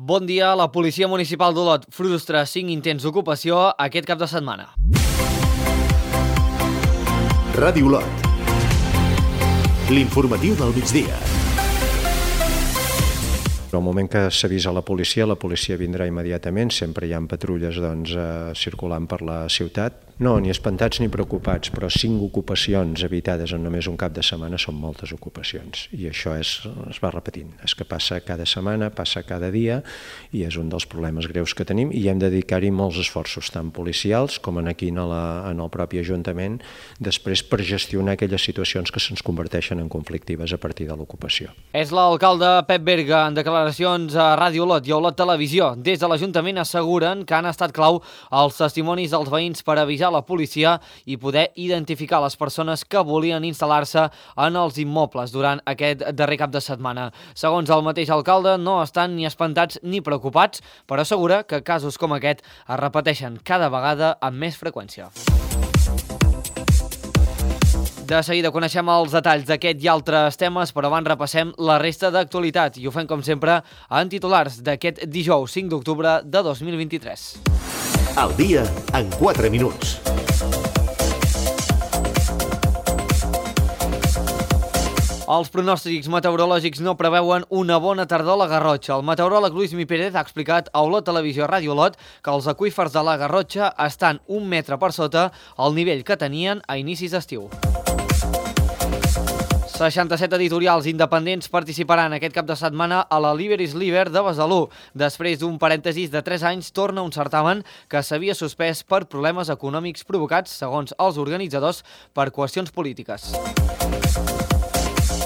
Bon dia. La Policia Municipal d'Olot frustra 5 intents d'ocupació aquest cap de setmana. Ràdio Olot. L'informatiu del migdia. En el moment que s'avisa la policia vindrà immediatament. Sempre hi ha patrulles circulant per la ciutat. No, ni espantats ni preocupats, però 5 ocupacions evitades en només un cap de setmana són moltes ocupacions. I això es va repetint. És que passa cada setmana, passa cada dia, i és un dels problemes greus que tenim, i hem de dedicar-hi molts esforços, tant policials com aquí en el propi Ajuntament, després per gestionar aquelles situacions que se'ns converteixen en conflictives a partir de l'ocupació. És l'alcalde Pep Berga en declaracions a Ràdio Olot i a Olot Televisió. Des de l'Ajuntament asseguren que han estat clau els testimonis dels veïns per avisar la policia i poder identificar les persones que volien instal·lar-se en els immobles durant aquest darrer cap de setmana. Segons el mateix alcalde, no estan ni espantats ni preocupats, però assegura que casos com aquest es repeteixen cada vegada amb més freqüència. De seguida coneixem els detalls d'aquest i altres temes, però abans repassem la resta d'actualitat i ho fem, com sempre, en titulars d'aquest dijous 5 d'octubre de 2023. Al dia en 4 minuts. Els pronòstics meteorològics no preveuen una bona tardor a la Garrotxa. El meteoròleg Lluís Mi Pérez ha explicat a Olot Televisió Ràdio Olot que els aqüífers de la Garrotxa estan 1 metre per sota el nivell que tenien a inicis d'estiu. 67 editorials independents participaran aquest cap de setmana a la Liber is Liber de Besalú. Després d'un parèntesis de 3 anys, torna un certamen que s'havia suspès per problemes econòmics provocats, segons els organitzadors, per qüestions polítiques.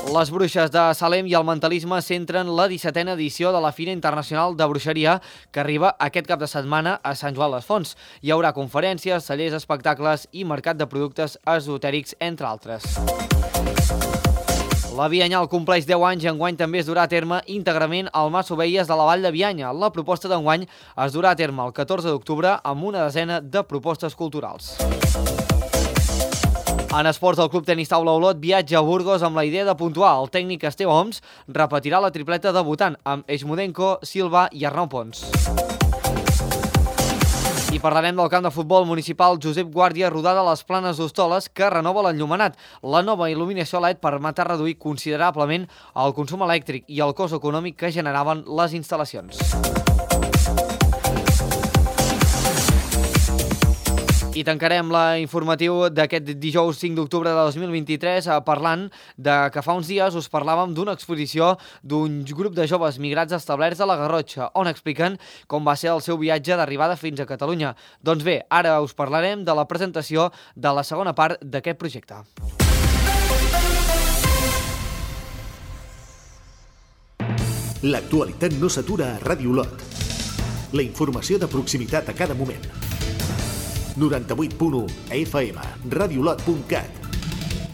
Les bruixes de Salem i el mentalisme centren la 17a edició de la Fira Internacional de Bruixeria, que arriba aquest cap de setmana a Sant Joan les Fonts. Hi haurà conferències, cellers, espectacles i mercat de productes esotèrics, entre altres. La Bianyal compleix 10 anys i enguany també es durà a terme íntegrament al Mas Ovelles de la Vall de Bianya. La proposta d'enguany es durà a terme el 14 d'octubre amb una desena de propostes culturals. En esports, el Club Tenis Taula Olot viatja a Burgos amb la idea de puntuar. El tècnic Esteve Oms repetirà la tripleta debutant amb Eixmudenko, Silva i Arnau Pons. I parlarem del camp de futbol municipal Josep Guàrdia rodada a les Planes d'Hostoles, que renova l'enllumenat. La nova il·luminació LED permetrà reduir considerablement el consum elèctric i el cost econòmic que generaven les instal·lacions. I tancarem l'informatiu d'aquest dijous 5 d'octubre de 2023 parlant de que fa uns dies us parlàvem d'una exposició d'un grup de joves migrats establerts a la Garrotxa, on expliquen com va ser el seu viatge d'arribada fins a Catalunya. Doncs bé, ara us parlarem de la presentació de la segona part d'aquest projecte. L'actualitat no s'atura a Ràdio Olot. La informació de proximitat a cada moment. 98.1 FM, radiolot.cat,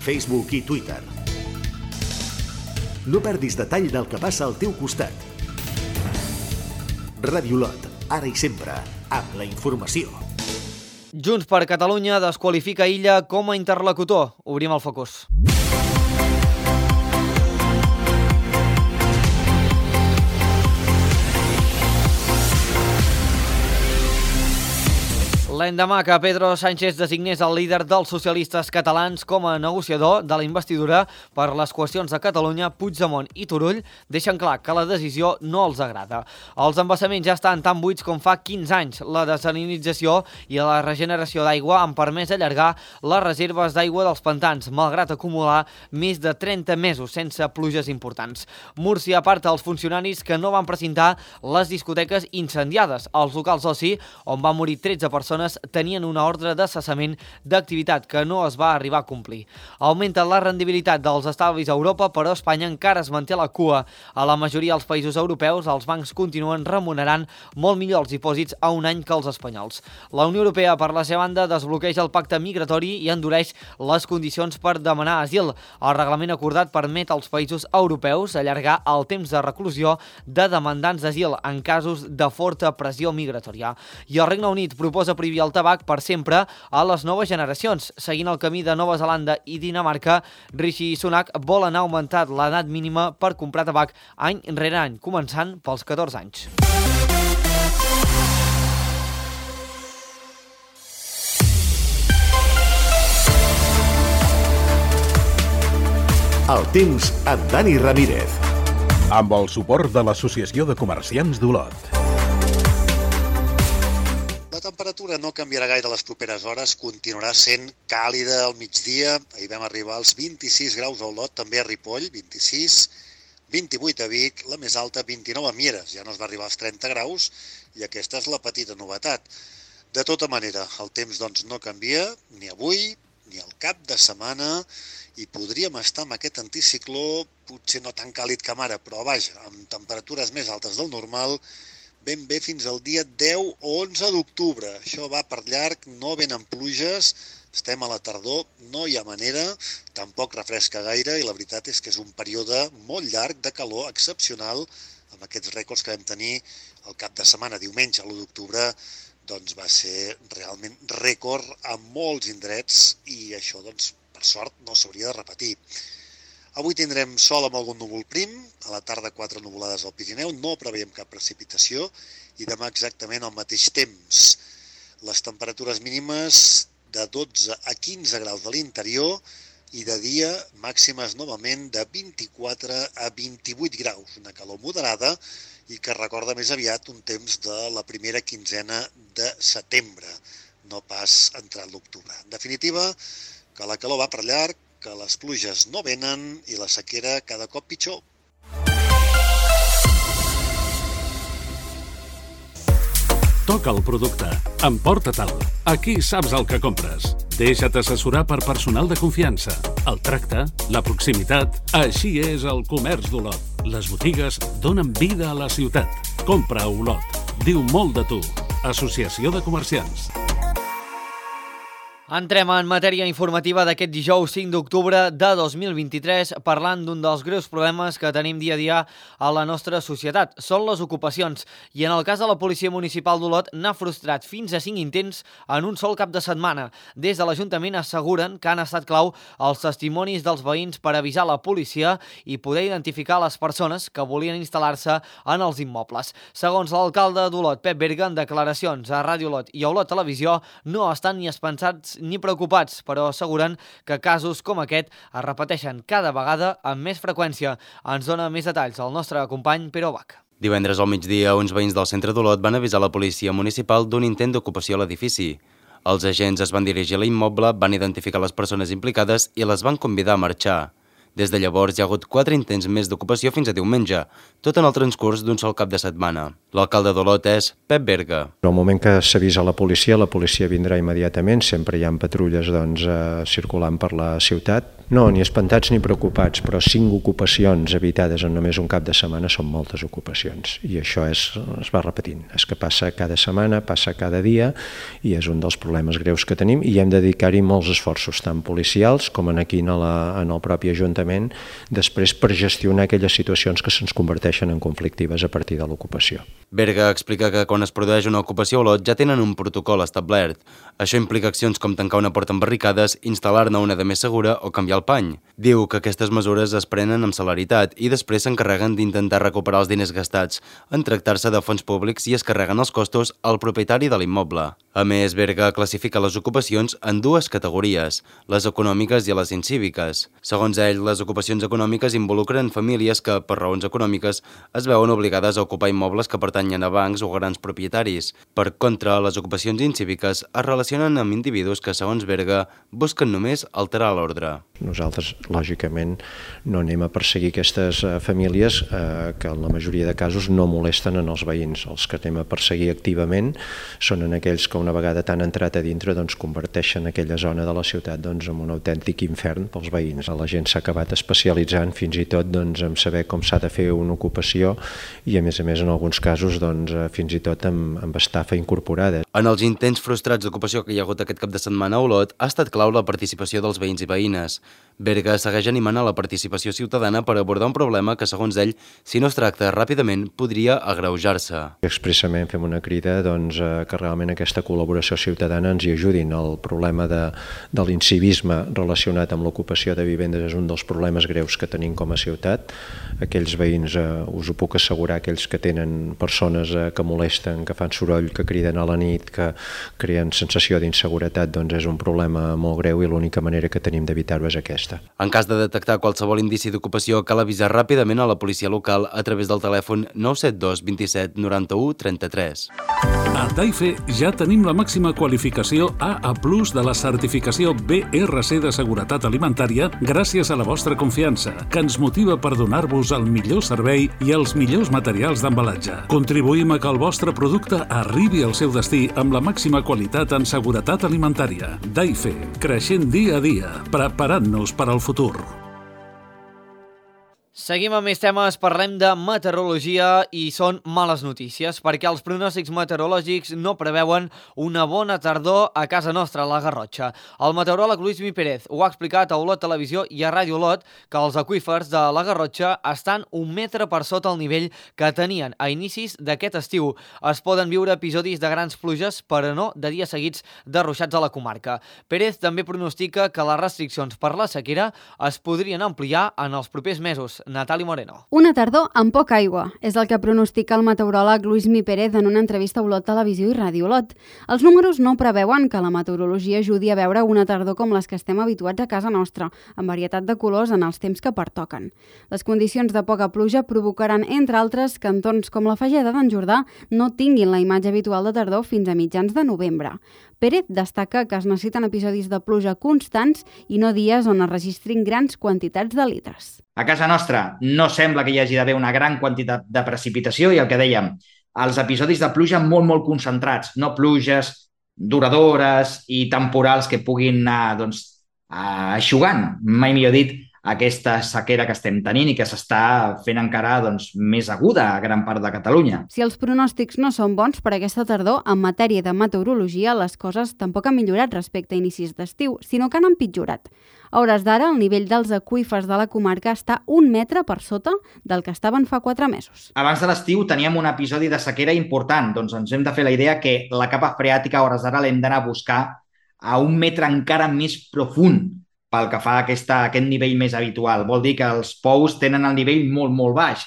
Facebook i Twitter. No perdis detall del que passa al teu costat. Ràdio Olot, ara i sempre, amb la informació. Junts per Catalunya desqualifica Illa com a interlocutor. Obrim el focus. L'endemà que Pedro Sánchez designés el líder dels socialistes catalans com a negociador de la investidura per les qüestions de Catalunya, Puigdemont i Turull deixen clar que la decisió no els agrada. Els embassaments ja estan tan buits com fa 15 anys. La desalinització i la regeneració d'aigua han permès allargar les reserves d'aigua dels pantans, malgrat acumular més de 30 mesos sense pluges importants. Múrcia aparta els funcionaris que no van precintar les discoteques incendiades. Els locals d'oci, on van morir 13 persones, tenien una ordre de cessament d'activitat que no es va arribar a complir. Augmenta la rendibilitat dels estalvis a Europa, però Espanya encara es manté a la cua. A la majoria dels països europeus, els bancs continuen remunerant molt millor els dipòsits a un any que els espanyols. La Unió Europea, per la seva banda, desbloqueja el pacte migratori i endureix les condicions per demanar asil. El reglament acordat permet als països europeus allargar el temps de reclusió de demandants d'asil en casos de forta pressió migratòria. I el Regne Unit proposa prohibir el tabac per sempre a les noves generacions. Seguint el camí de Nova Zelanda i Dinamarca, Rishi Sunak vol anar augmentant l'edat mínima per comprar tabac any rere any, començant pels 14 anys. El temps amb Dani Ramírez. Amb el suport de l'Associació de Comerciants d'Olot. La temperatura no canviarà gaire les properes hores, continuarà sent càlida al migdia. Ahir vam arribar als 26 graus a Olot, també a Ripoll, 26, 28 a Vic, la més alta 29 a Mieres, ja no es va arribar als 30 graus i aquesta és la petita novetat. De tota manera, el temps doncs no canvia, ni avui, ni al cap de setmana, i podríem estar amb aquest anticicló, potser no tan càlid com ara, però vaja, amb temperatures més altes del normal, ben bé fins al dia 10 o 11 d'octubre. Això va per llarg, no venen pluges, estem a la tardor, no hi ha manera, tampoc refresca gaire, i la veritat és que és un període molt llarg de calor excepcional, amb aquests rècords que vam tenir el cap de setmana, diumenge, l'1 d'octubre, doncs va ser realment rècord a molts indrets i això, doncs, per sort, no s'hauria de repetir. Avui tindrem sol amb algun núvol prim, a la tarda 4 nuvolades al Pirineu, no preveiem cap precipitació i demà exactament al mateix temps. Les temperatures mínimes de 12 a 15 graus de l'interior i de dia màximes novament de 24 a 28 graus, una calor moderada i que recorda més aviat un temps de la primera quinzena de setembre, no pas entrat l'octubre. En definitiva, que la calor va per llarg, que les pluges no venen i la sequera cada cop pitjor. Toca el producte. Emporta-te'l. Aquí saps el que compres. Deixa't assessorar per personal de confiança. El tracte, la proximitat... Així és el comerç d'Olot. Les botigues donen vida a la ciutat. Compra a Olot. Diu molt de tu. Associació de Comerciants. Entrem en matèria informativa d'aquest dijous 5 d'octubre de 2023 parlant d'un dels greus problemes que tenim dia a dia a la nostra societat. Són les ocupacions i en el cas de la Policia Municipal d'Olot n'ha frustrat fins a 5 intents en un sol cap de setmana. Des de l'Ajuntament asseguren que han estat clau els testimonis dels veïns per avisar la policia i poder identificar les persones que volien instal·lar-se en els immobles. Segons l'alcalde d'Olot, Pep Berga, en declaracions a Ràdio Olot i a Olot Televisió, no estan ni espensats ni preocupats, però asseguren que casos com aquest es repeteixen cada vegada amb més freqüència. Ens dona més detalls el nostre company Pere Bach. Divendres al migdia, uns veïns del centre d'Olot van avisar la policia municipal d'un intent d'ocupació a l'edifici. Els agents es van dirigir a l'immoble, van identificar les persones implicades i les van convidar a marxar. Des de llavors hi ha hagut 4 intents més d'ocupació fins a diumenge, tot en el transcurs d'un sol cap de setmana. L'alcalde d'Olot és Pep Berga. En el moment que s'avisa la policia vindrà immediatament, sempre hi ha patrulles circulant per la ciutat. No, ni espantats ni preocupats, però 5 ocupacions evitades en només un cap de setmana són moltes ocupacions. I això es va repetint. És que passa cada setmana, passa cada dia, i és un dels problemes greus que tenim, i hem de dedicar-hi molts esforços, tant policials com aquí en el propi Ajuntament, després per gestionar aquelles situacions que se'ns converteixen en conflictives a partir de l'ocupació. Berga explica que quan es produeix una ocupació a Olot ja tenen un protocol establert. Això implica accions com tancar una porta amb barricades, instal·lar-ne una de més segura o canviar el pany. Diu que aquestes mesures es prenen amb celeritat i després s'encarreguen d'intentar recuperar els diners gastats en tractar-se de fons públics i es carreguen els costos al propietari de l'immoble. A més, Berga classifica les ocupacions en 2 categories, les econòmiques i les incíviques. Segons ell, les ocupacions econòmiques involucren famílies que, per raons econòmiques, es veuen obligades a ocupar immobles que pertanyen a bancs o grans propietaris. Per contra, les ocupacions incíviques es relacionen amb individus que, segons Berga, busquen només alterar l'ordre. Nosaltres, lògicament, no anem a perseguir aquestes famílies que en la majoria de casos no molesten en els veïns. Els que anem a perseguir activament són en aquells que una vegada t'han entrat a dintre converteixen aquella zona de la ciutat en un autèntic infern pels veïns. La gent s'ha acabat especialitzant fins i tot en saber com s'ha de fer una ocupació i a més en alguns casos fins i tot amb estafa incorporada. En els intents frustrats d'ocupació que hi ha hagut aquest cap de setmana a Olot ha estat clau la participació dels veïns i veïnes. Berga segueix animant a la participació ciutadana per abordar un problema que, segons ell, si no es tracta ràpidament, podria agreujar-se. Expressament fem una crida que realment aquesta col·laboració ciutadana ens hi ajudin. El problema de l'incivisme relacionat amb l'ocupació de vivendes és un dels problemes greus que tenim com a ciutat. Aquells veïns, us ho puc assegurar, aquells que tenen persones que molesten, que fan soroll, que criden a la nit, que creen sensació d'inseguretat, doncs és un problema molt greu i l'única manera que tenim d'evitar-ho és aquesta. En cas de detectar qualsevol indici d'ocupació, cal avisar ràpidament a la policia local a través del telèfon 972 27 91 33. A Daife ja tenim la màxima qualificació AA+ de la certificació BRC de seguretat alimentària gràcies a la vostra confiança, que ens motiva per donar-vos el millor servei i els millors materials d'embalatge. Contribuïm a que el vostre producte arribi al seu destí amb la màxima qualitat en seguretat alimentària. Daife, creixent dia a dia, preparant-nos per al futur. Seguim amb més temes, parlem de meteorologia i són males notícies perquè els pronòstics meteorològics no preveuen una bona tardor a casa nostra, a la Garrotxa. El meteoròleg Luismi Pérez ho ha explicat a Olot Televisió i a Ràdio Olot que els aqüífers de la Garrotxa estan 1 metre per sota el nivell que tenien a inicis d'aquest estiu. Es poden viure episodis de grans pluges, però no de dies seguits de ruixats a la comarca. Pérez també pronostica que les restriccions per la sequera es podrien ampliar en els propers mesos. Natali Moreno. Una tardor amb poca aigua és el que pronostica el meteoròleg Luismi Pérez en una entrevista a Olot Televisió i Ràdio Olot. Els números no preveuen que la meteorologia ajudi a veure una tardor com les que estem habituats a casa nostra, amb varietat de colors en els temps que pertoquen. Les condicions de poca pluja provocaran, entre altres, que entorns com la Fageda d'en Jordà no tinguin la imatge habitual de tardor fins a mitjans de novembre. Pérez destaca que es necessiten episodis de pluja constants i no dies on es registrin grans quantitats de litres. A casa nostra no sembla que hi hagi d'haver una gran quantitat de precipitació i el que dèiem, els episodis de pluja molt concentrats, no pluges duradores i temporals que puguin anar eixugant, mai millor dit, aquesta sequera que estem tenint i que s'està fent encara més aguda a gran part de Catalunya. Si els pronòstics no són bons per aquesta tardor, en matèria de meteorologia, les coses tampoc han millorat respecte a inicis d'estiu, sinó que han empitjorat. A hores d'ara, el nivell dels aqüífers de la comarca està 1 metre per sota del que estaven fa 4 mesos. Abans de l'estiu teníem un episodi de sequera important, doncs ens hem de fer la idea que la capa freàtica a hores d'ara l'hem d'anar a buscar a 1 metre encara més profund pel que fa a aquest nivell més habitual. Vol dir que els pous tenen el nivell molt baix.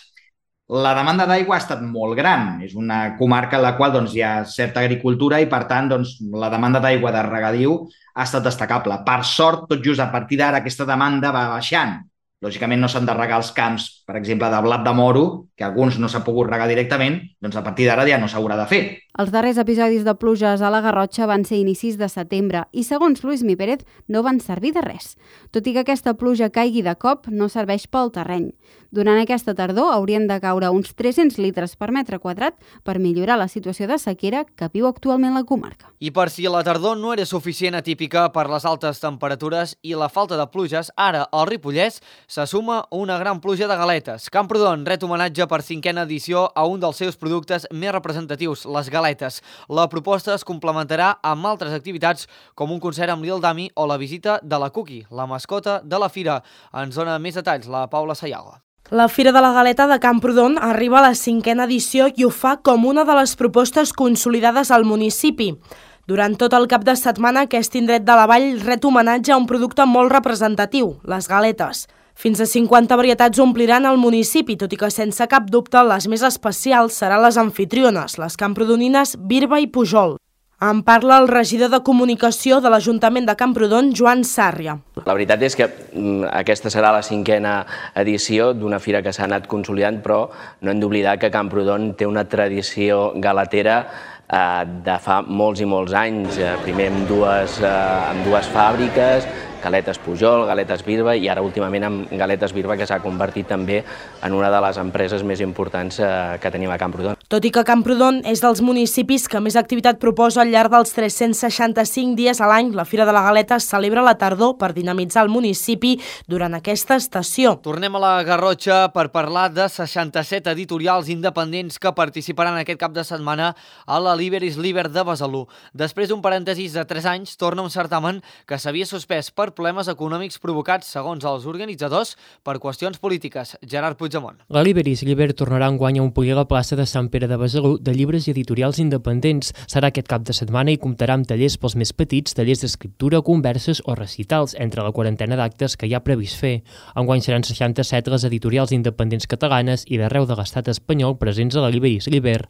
La demanda d'aigua ha estat molt gran. És una comarca en la qual hi ha certa agricultura i, per tant, la demanda d'aigua de regadiu ha estat destacable. Per sort, tot just a partir d'ara, aquesta demanda va baixant. Lògicament no s'han de regar els camps, per exemple, de blat de moro, que alguns no s'ha pogut regar directament, doncs a partir d'ara ja no s'haurà de fer. Els darrers episodis de pluges a la Garrotxa van ser inicis de setembre i, segons Luismi Pérez, no van servir de res. Tot i que aquesta pluja caigui de cop, no serveix pel terreny. Durant aquesta tardor haurien de caure uns 300 litres per metre quadrat per millorar la situació de sequera que viu actualment la comarca. I per si la tardor no era suficient atípica per les altes temperatures i la falta de pluges, ara al Ripollès se suma una gran pluja de galetes. Camprodon ret homenatge per 5a edició a un dels seus productes més representatius, les galetes. La proposta es complementarà amb altres activitats com un concert amb Lil Dami o la visita de la Cookie, la mascota de la fira. Ens dona més detalls la Paula Sayago. La Fira de la Galeta de Camprodon arriba a la 5a edició i ho fa com una de les propostes consolidades al municipi. Durant tot el cap de setmana, aquest indret de la vall ret homenatge a un producte molt representatiu, les galetes. Fins a 50 varietats ompliran el municipi, tot i que sense cap dubte les més especials seran les amfitriones, les camprodonines Birba i Pujol. En parla el regidor de Comunicació de l'Ajuntament de Camprodon, Joan Sàrria. La veritat és que aquesta serà la 5a edició d'una fira que s'ha anat consolidant, però no hem d'oblidar que Camprodon té una tradició galetera de fa molts i molts anys, primer amb dues fàbriques, Galetes Pujol, Galetes Birba i ara últimament amb Galetes Birba, que s'ha convertit també en una de les empreses més importants que tenim a Camprodon. Tot i que Camprodon és dels municipis que més activitat proposa al llarg dels 365 dies a l'any, la Fira de la Galeta es celebra a la tardor per dinamitzar el municipi durant aquesta estació. Tornem a la Garrotxa per parlar de 67 editorials independents que participaran aquest cap de setmana a la Liber is Liber de Besalú. Després d'un parèntesis de 3 anys, torna un certamen que s'havia suspès per problemes econòmics provocats, segons els organitzadors, per qüestions polítiques. Gerard Puigdemont. La Liber is Liber tornarà enguany a omplir la plaça de Sant Pere de Besalú de llibres i editorials independents. Serà aquest cap de setmana i comptarà amb tallers pels més petits, tallers d'escriptura, converses o recitals, entre la quarantena d'actes que hi ha previst fer. Enguany seran 67 les editorials independents catalanes i d'arreu de l'estat espanyol presents a la Liber is Liber.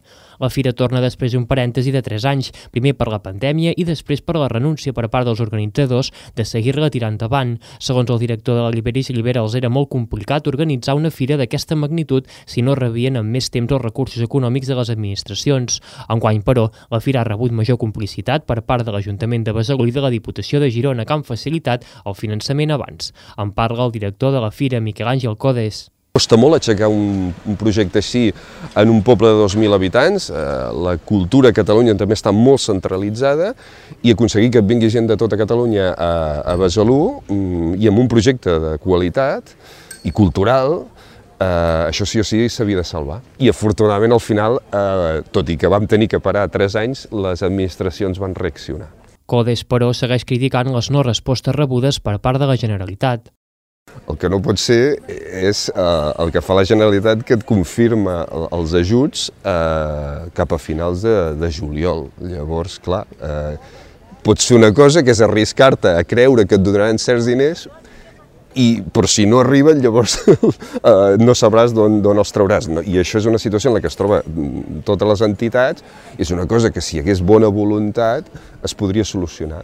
La fira torna després d'un parèntesi de 3 anys, primer per la pandèmia i després per la renúncia per part dels organitzadors de seguir-la tirant endavant. Segons el director de la Liber is Liber, els era molt complicat organitzar una fira d'aquesta magnitud si no rebien amb més temps els recursos econòmics de les administracions. Enguany, però, la fira ha rebut major complicitat per part de l'Ajuntament de Besalú i de la Diputació de Girona, que han facilitat el finançament abans. En parla el director de la fira, Miquel Àngel Codes. Costa molt aixecar un projecte així en un poble de 2.000 habitants. La cultura a Catalunya també està molt centralitzada i aconseguir que vingui gent de tota Catalunya a Besalú i amb un projecte de qualitat i cultural, això sí o sí s'havia de salvar. I afortunadament al final, tot i que vam tenir que parar 3 anys, les administracions van reaccionar. Codes, però, segueix criticant les no respostes rebudes per part de la Generalitat. El que no pot ser és el que fa la Generalitat, que et confirma els ajuts cap a finals de juliol. Llavors, clar, pots fer una cosa que és arriscar-te a creure que et donaran certs diners, però si no arriben, llavors no sabràs d'on els trauràs. I això és una situació en la que es troba totes les entitats, i és una cosa que si hi hagués bona voluntat es podria solucionar.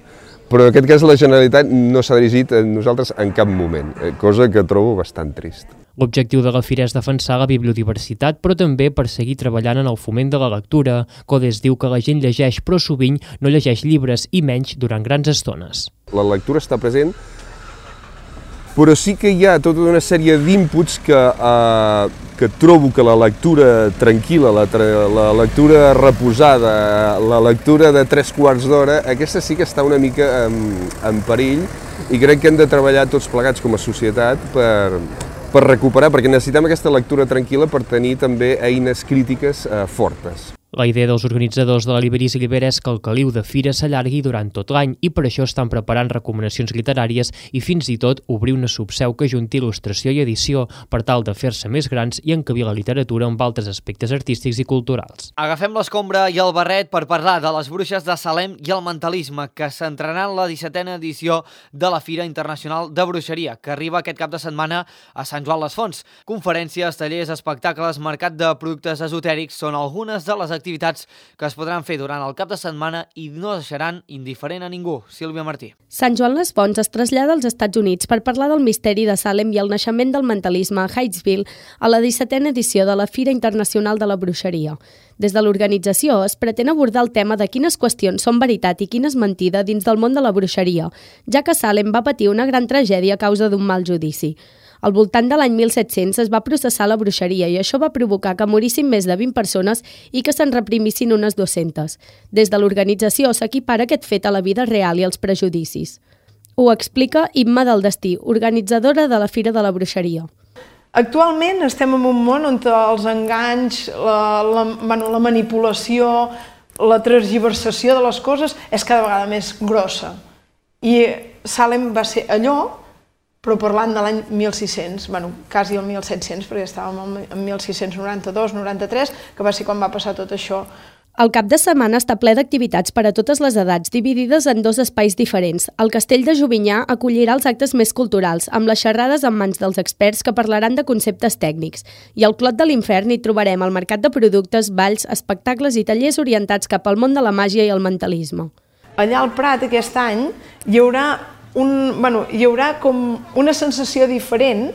Però en aquest cas la Generalitat no s'ha dirigit a nosaltres en cap moment, cosa que trobo bastant trist. L'objectiu de la fira és defensar la biodiversitat, però també per seguir treballant en el foment de la lectura. Codes diu que la gent llegeix, però sovint no llegeix llibres, i menys durant grans estones. La lectura està present, però sí que hi ha tota una sèrie d'inputs que trobo que la lectura tranquil·la, la lectura reposada, la lectura de 3/4 d'hora, aquesta sí que està una mica en perill, i crec que hem de treballar tots plegats com a societat per recuperar, perquè necessitem aquesta lectura tranquil·la per tenir també eines crítiques fortes. La idea dels organitzadors de la Liber is Liber és que el caliu de fira s'allargui durant tot l'any i per això estan preparant recomanacions literàries i fins i tot obrir una subseu que junti il·lustració i edició per tal de fer-se més grans i encabir la literatura amb altres aspectes artístics i culturals. Agafem l'escombra i el barret per parlar de les bruixes de Salem i el mentalisme, que centraran la 17a edició de la Fira Internacional de Bruixeria, que arriba aquest cap de setmana a Sant Joan les Fonts. Conferències, tallers, espectacles, mercat de productes esotèrics són algunes de les activitats que es podran fer durant el cap de setmana i no deixaran indiferent a ningú. Sílvia Martí. Sant Joan les Fonts es trasllada als Estats Units per parlar del misteri de Salem i el naixement del mentalisme a Hightsville a la 17a edició de la Fira Internacional de la Bruixeria. Des de l'organització es pretén abordar el tema de quines qüestions són veritat i quines mentida dins del món de la bruixeria, ja que Salem va patir una gran tragèdia a causa d'un mal judici. Al voltant de l'any 1700 es va processar la bruixeria i això va provocar que morissin més de 20 persones i que se'n reprimissin unes 200. Des de l'organització s'equipara aquest fet a la vida real i als prejudicis. Ho explica Imma del Destí, organitzadora de la Fira de la Bruixeria. Actualment estem en un món on els enganys, la manipulació, la tergiversació de les coses és cada vegada més grossa. I Salem va ser allò, però parlant de l'any 1600, quasi el 1700, perquè estàvem en 1692-93, que va ser quan va passar tot això. El cap de setmana està ple d'activitats per a totes les edats, dividides en dos espais diferents. El Castell de Jovinyà acollirà els actes més culturals, amb les xerrades en mans dels experts que parlaran de conceptes tècnics. I al Clot de l'Infern hi trobarem el mercat de productes, balls, espectacles i tallers orientats cap al món de la màgia i el mentalisme. Allà al Prat aquest any hi haurà com una sensació diferent,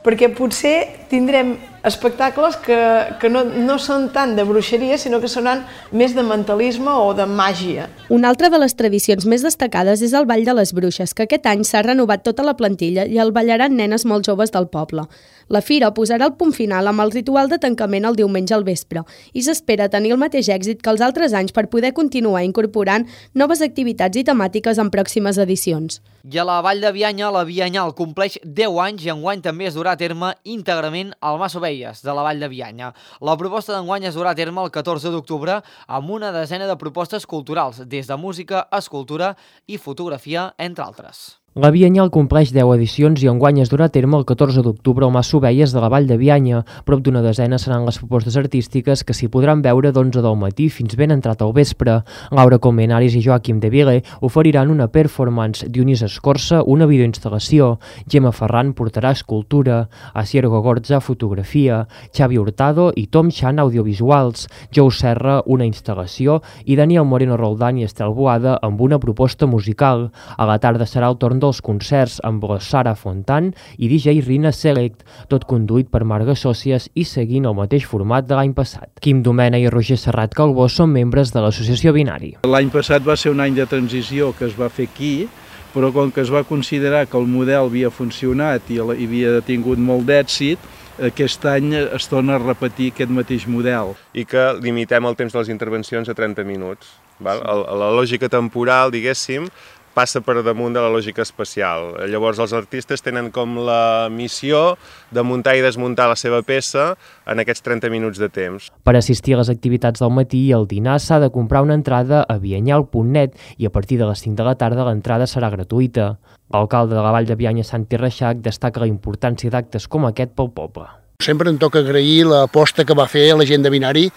perquè potser tindrem espectacles que no són tant de bruixeria, sinó que seran més de mentalisme o de màgia. Una altra de les tradicions més destacades és el Ball de les Bruixes, que aquest any s'ha renovat tota la plantilla i el ballaran nenes molt joves del poble. La fira posarà el punt final amb el ritual de tancament el diumenge al vespre i s'espera tenir el mateix èxit que els altres anys per poder continuar incorporant noves activitats i temàtiques en pròximes edicions. I a la Vall de Bianya, la Bianyal compleix 10 anys i enguany també es durà a terme íntegrament al Mas Ovelles de la Vall de Bianya. La proposta d'enguany es durà a terme el 14 d'octubre amb una desena de propostes culturals, des de música, escultura i fotografia, entre altres. La Bianyal compleix 10 edicions i enguany es durà a terme el 14 d'octubre al Mas Ovelles de la Vall de Bianya. Prop d'una desena seran les propostes artístiques que s'hi podran veure d'11 del matí fins ben entrat al vespre. Laura Colmenares i Joaquim de Vile oferiran una performance, Dionís Escorça una videoinstal·lació, Gemma Ferran portarà escultura, Asier Gogorza fotografia, Xavi Hurtado i Tom Chan audiovisuals, Jou Serra una instal·lació i Daniel Moreno Roldán i Estel Boada amb una proposta musical. A la tarda serà el torn dels concerts amb la Sara Fontan i DJ Rina Select, tot conduït per Marga Sòcies i seguint el mateix format de l'any passat. Quim Domena i Roger Serrat Calbó són membres de l'associació Binari. L'any passat va ser un any de transició que es va fer aquí, però com que es va considerar que el model havia funcionat i havia tingut molt d'èxit, aquest any es torna a repetir aquest mateix model. I que limitem el temps de les intervencions a 30 minuts. La lògica temporal, diguéssim, passa per damunt de la lògica espacial. Llavors els artistes tenen com la missió de muntar i desmuntar la seva peça en aquests 30 minuts de temps. Per assistir a les activitats del matí i al dinar s'ha de comprar una entrada a bianyal.net i a partir de les 5 de la tarda l'entrada serà gratuïta. L'alcalde de la Vall de Bianya, Santi Reixac, destaca la importància d'actes com aquest pel poble. Sempre em toca agrair l'aposta que va fer la gent de Binari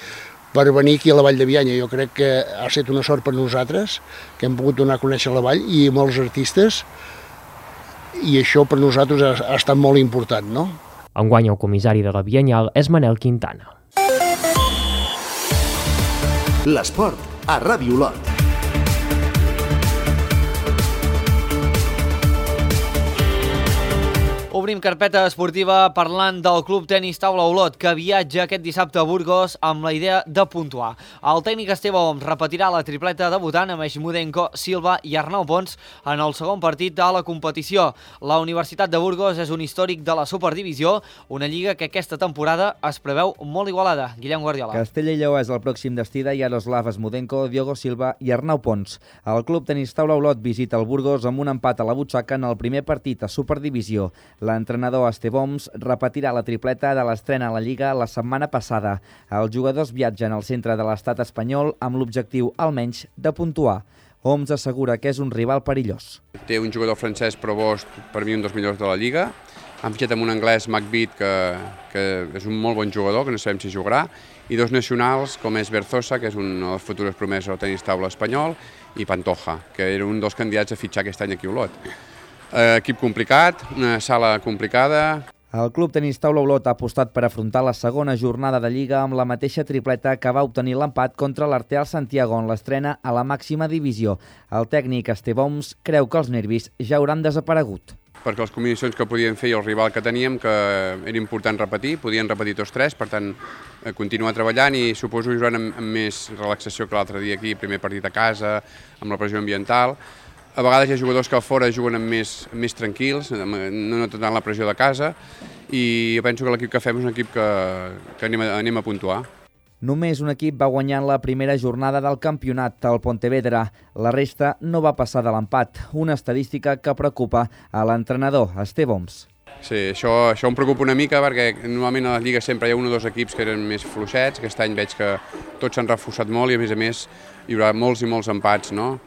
per venir aquí a la Vall de Bianya. Jo crec que ha estat una sort per nosaltres, que hem pogut donar a conèixer la Vall i molts artistes, i això per nosaltres ha estat molt important, no? Enguany el comissari de la Bianyal és Manel Quintana. L'esport a Ràdio Olot. Obrim carpeta esportiva parlant del Club Tenis Taula Olot, que viatja aquest dissabte a Burgos amb la idea de puntuar. El tècnic Esteve Oms repetirà la tripleta debutant amb Eixmudenko, Silva i Arnau Pons en el segon partit de la competició. La Universitat de Burgos és un històric de la Superdivisió, una lliga que aquesta temporada es preveu molt igualada. Guillem Guardiola. Castella i Lleó és el pròxim destí de Yaroslav Eixmudenko, Diogo Silva i Arnau Pons. El Club Tenis Taula Olot visita el Burgos amb un empat a la butxaca en el primer partit a Superdivisió. L'entrenador Esteve Oms repetirà la tripleta de l'estrena a la Lliga la setmana passada. Els jugadors viatgen al centre de l'estat espanyol amb l'objectiu, almenys, de puntuar. Oms assegura que és un rival perillós. Té un jugador francès, Provost, per mi un dels millors de la Lliga. Han fitxat amb un anglès, McBeat, que és un molt bon jugador, que no sabem si jugarà, i dos nacionals, com és Berzosa, que és una de les futures promeses al tenis taula espanyol, i Pantoja, que era un dels candidats a fitxar aquest any aquí a Olot. Equip complicat, una sala complicada. El Club Tenis Taula Olot ha apostat per afrontar la segona jornada de Lliga amb la mateixa tripleta que va obtenir l'empat contra l'Arteal Santiago en l'estrena a la màxima divisió. El tècnic Esteve Oms creu que els nervis ja hauran desaparegut. Perquè les combinacions que podien fer i el rival que teníem, que era important repetir, podien repetir tots tres, per tant, continuar treballant i suposo jugant amb més relaxació que l'altre dia aquí, primer partit a casa, amb la pressió ambiental. A vegades hi ha jugadors que a fora juguen més tranquils, no tant la pressió de casa, i jo penso que l'equip que fem és un equip que anem a puntuar. Només un equip va guanyar en la primera jornada del campionat, el Pontevedra. La resta no va passar de l'empat, una estadística que preocupa a l'entrenador Esteve Oms. Sí, això em preocupa una mica perquè normalment a les lligues sempre hi ha un o dos equips que eren més fluixets. Aquest any veig que tots s'han reforçat molt i a més hi haurà molts i molts empats, no?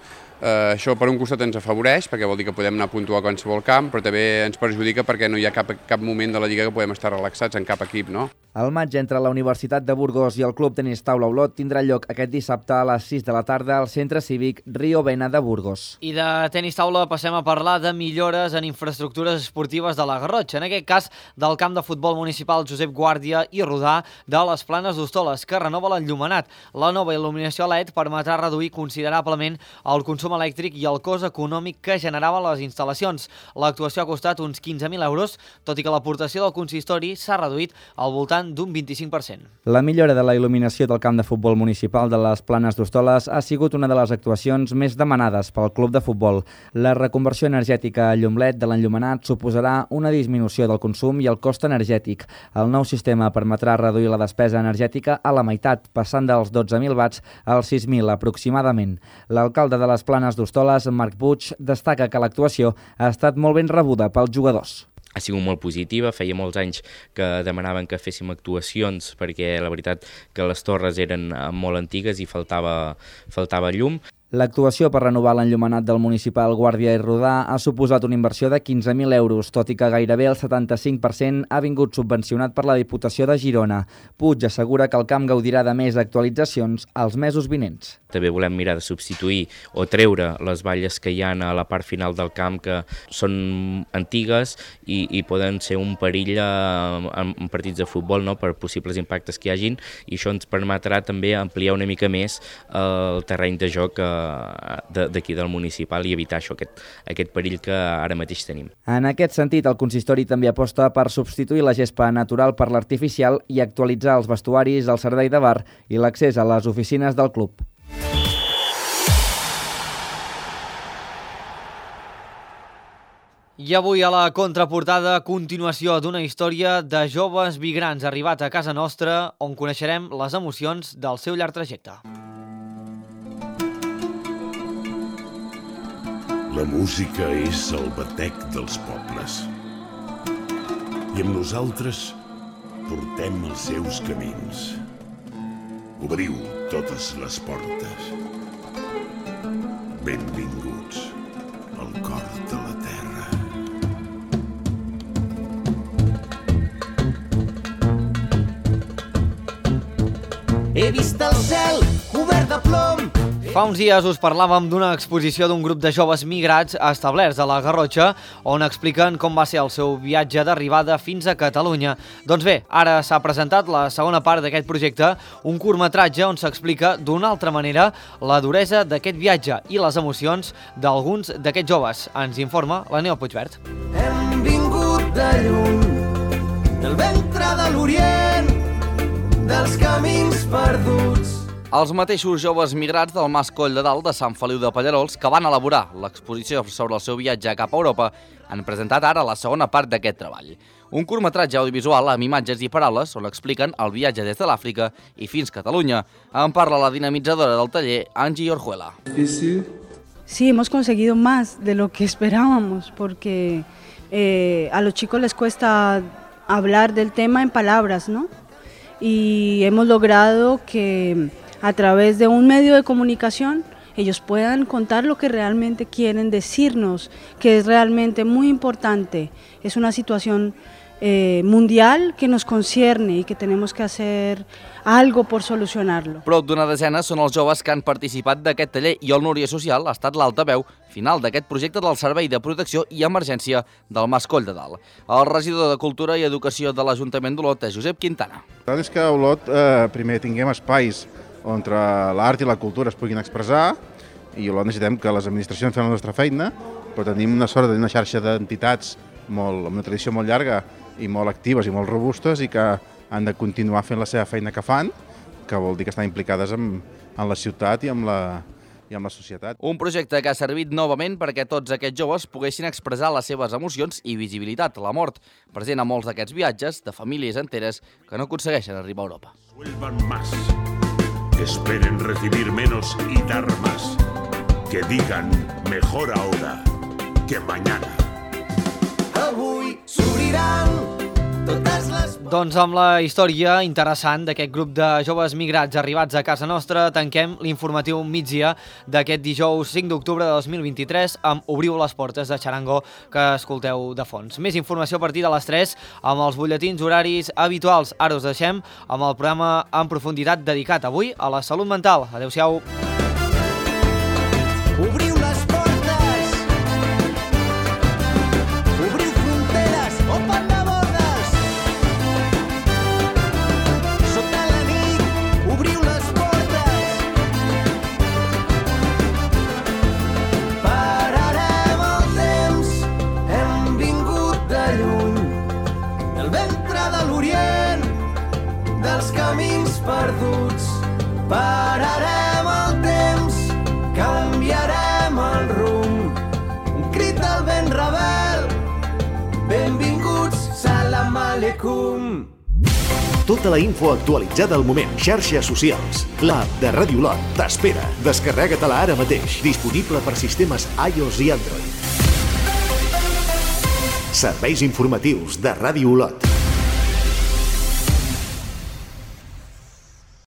Això per un costat ens afavoreix perquè vol dir que podem anar a puntuar a qualsevol camp, però també ens perjudica perquè no hi ha cap moment de la Lliga que podem estar relaxats en cap equip, no? El maig entre la Universitat de Burgos i el Club Tenis Taula Olot tindrà lloc aquest dissabte a les 6 de la tarda al Centre Cívic Rio Vena de Burgos. I de tenis taula passem a parlar de millores en infraestructures esportives de la Garrotxa, en aquest cas del camp de futbol municipal Josep Guàrdia i Rodà de les Planes d'Hostoles, que renova l'enllumenat. La nova il·luminació LED permetrà reduir considerablement el consum elèctric i el cost econòmic que generaven les instal·lacions. L'actuació ha costat uns 15.000 euros, tot i que l'aportació del consistori s'ha reduït al voltant davant d'un 25%. La millora de la il·luminació del camp de futbol municipal de les Planes d'Hostoles ha sigut una de les actuacions més demanades pel club de futbol. La reconversió energètica a llum LED de l'enllumenat suposarà una disminució del consum i el cost energètic. El nou sistema permetrà reduir la despesa energètica a la meitat, passant dels 12.000 watts als 6.000 aproximadament. L'alcalde de les Planes d'Hostoles, Marc Puig, destaca que l'actuació ha estat molt ben rebuda pels jugadors. Ha sigut molt positiva, feia molts anys que demanaven que féssim actuacions perquè la veritat que les torres eren molt antigues i faltava llum. L'actuació per renovar l'enllumenat del municipal Guàrdia i Rodà ha suposat una inversió de 15.000 euros, tot i que gairebé el 75% ha vingut subvencionat per la Diputació de Girona. Puig assegura que el camp gaudirà de més actualitzacions als mesos vinents. També volem mirar de substituir o treure les valles que hi ha a la part final del camp, que són antigues i poden ser un perill en partits de futbol, no?, per possibles impactes que hi hagin, i això ens permetrà també ampliar una mica més el terreny de joc d'aquí del municipal i evitar això, aquest perill que ara mateix tenim. En aquest sentit, el consistori també aposta per substituir la gespa natural per l'artificial i actualitzar els vestuaris, el servei de bar i l'accés a les oficines del club. I avui a la contraportada, continuació d'una història de joves migrants arribats a casa nostra, on coneixerem les emocions del seu llarg trajecte. La música és el batec dels pobles. I amb nosaltres portem els seus camins. Obriu totes les portes. Benvinguts al cor de la terra. He vist el cel cobert de plom. Fa uns dies us parlàvem d'una exposició d'un grup de joves migrats establerts a la Garrotxa, on expliquen com va ser el seu viatge d'arribada fins a Catalunya. Doncs bé, ara s'ha presentat la segona part d'aquest projecte, un curtmetratge on s'explica d'una altra manera la duresa d'aquest viatge i les emocions d'alguns d'aquests joves. Ens informa la Neo Puigvert. Hem vingut de lluny, del ventre de l'Orient, dels camins perduts. Els mateixos joves migrats del Mas Coll de Dalt de Sant Feliu de Pallerols, que van elaborar l'exposició sobre el seu viatge cap a Europa, han presentat ara la segona part d'aquest treball. Un curtmetratge audiovisual amb imatges i paraules on expliquen el viatge des de l'Àfrica i fins a Catalunya. En parla la dinamitzadora del taller, Angie Orjuela. Sí, hemos conseguido más de lo que esperábamos, porque a los chicos les cuesta hablar del tema en palabras, ¿no? Y hemos logrado que a través de un medio de comunicación ellos puedan contar lo que realmente quieren decirnos, que es realmente muy importante. Es una situación mundial que nos concierne y que tenemos que hacer algo por solucionarlo. Prop d'una desena són els joves que han participat d'aquest taller i el Núria Social ha estat l'altaveu final d'aquest projecte del Servei de Protecció i Emergència del Mas Coll de Dalt. El regidor de Cultura i Educació de l'Ajuntament d'Olot és Josep Quintana. La veritat és que a Olot primer tinguem espais on l'art i la cultura es puguin expressar, i a Olot necessitem que les administracions fem la nostra feina, però tenim una sort d'una xarxa d'entitats amb una tradició molt llarga i molt actives i molt robustes i que han de continuar fent la seva feina que fan, que vol dir que estan implicades en la ciutat i amb la societat. Un projecte que ha servit novament perquè tots aquests joves poguessin expressar les seves emocions i visibilitat, la mort, present a molts d'aquests viatges de famílies enteres que no aconsegueixen arribar a Europa. Suelvan más, que esperen recibir menos y dar más, que digan mejor ahora que mañana. Avui s'obriran totes les... Doncs amb la història interessant d'aquest grup de joves migrats arribats a casa nostra, tanquem l'informatiu migdia d'aquest dijous 5 d'octubre de 2023 amb Obriu les portes de Charango, que escolteu de fons. Més informació a partir de les 3 amb els butlletins horaris habituals. Ara us deixem amb el programa en profunditat dedicat avui a la salut mental. Adéu-siau. Obriu les portes, obriu fronteres, open de bordes. Sota la nit, obriu les portes. Pararem el temps, hem vingut de lluny, del ventre de l'Orient, Pararem el temps, canviarem el rumb. Un crit del vent rebel. Benvinguts, salam aleikum. Tota la info actualitzada al moment. Xarxes socials. L'app de Ràdio Olot t'espera. Descarrega-te-la ara mateix. Disponible per sistemes iOS i Android. Serveis informatius de Ràdio Olot.